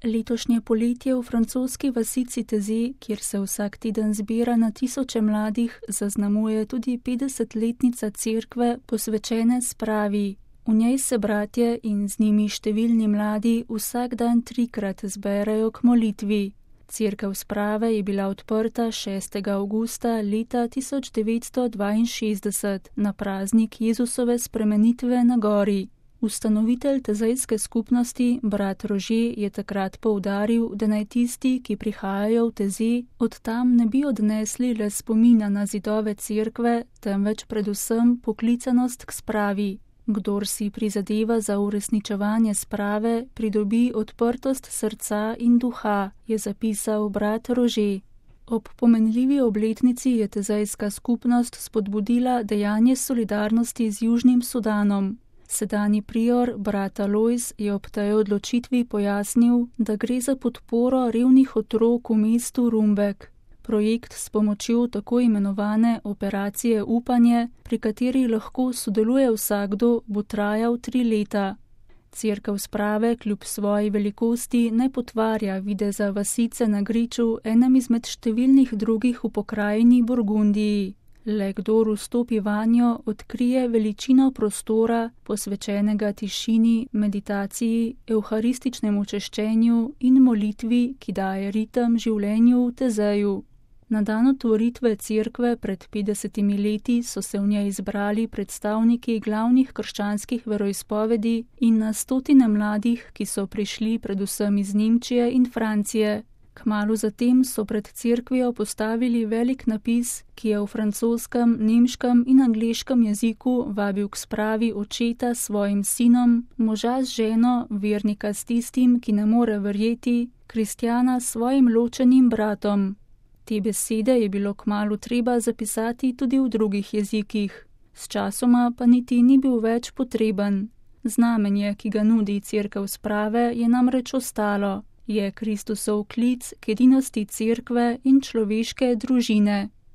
Letošnje poletje v francoski vasici Taizé, kjer se vsak teden zbira na tisoče mladih, zaznamuje tudi 50-letnica cerkve, posvečene spravi. V njej se bratje in z njimi številni mladi vsak dan 3-krat zberejo k molitvi. Cerkev sprave je bila odprta 6. avgusta leta 1962 na praznik Jezusove spremenitve na gori. Ustanovitelj tezejske skupnosti, brat Rože, je takrat poudaril, da naj tisti, ki prihajajo v Taizé, od tam ne bi odnesli le spomina na zidove cerkve, temveč predvsem poklicanost k spravi. Kdor si prizadeva za uresničevanje sprave, pridobi odprtost srca in duha, je zapisal brat Rože. Ob pomenljivi obletnici je tezejska skupnost spodbudila dejanje solidarnosti z Južnim Sudanom. Sedanji prior, brat Alojz, je ob tej odločitvi pojasnil, da gre za podporo revnih otrok v mestu Rumbek. Projekt s pomočjo tako imenovane operacije Upanje, pri kateri lahko sodeluje vsakdo, bo trajal 3 leta. Cerkev sprave kljub svoji velikosti ne potvarja videza vasice na griču, enem izmed številnih drugih v pokrajini Burgundiji. Le kdor vstopi vanjo, odkrije veličino prostora, posvečenega tišini, meditaciji, evharističnemu češčenju in molitvi, ki daje ritem življenju v Taizeju. Na dan otvoritve cerkve pred 50 leti so se v njej izbrali predstavniki glavnih krščanskih veroizpovedi in na stotine mladih, ki so prišli predvsem iz Nemčije in Francije. Kmalu zatem so pred cerkvijo postavili velik napis, ki je v francoskem, nemškem in angleškem jeziku vabil k spravi očeta s svojim sinom, moža z ženo, vernika s tistim, ki ne more verjeti, kristjana s svojim ločenim bratom. Te besede je bilo kmalu treba zapisati tudi v drugih jezikih. Sčasoma pa niti ni bil več potreben. Znamenje, ki ga nudi cerkev sprave, je namreč ostalo. Je Kristusov klic k edinosti cerkve in človeške družine.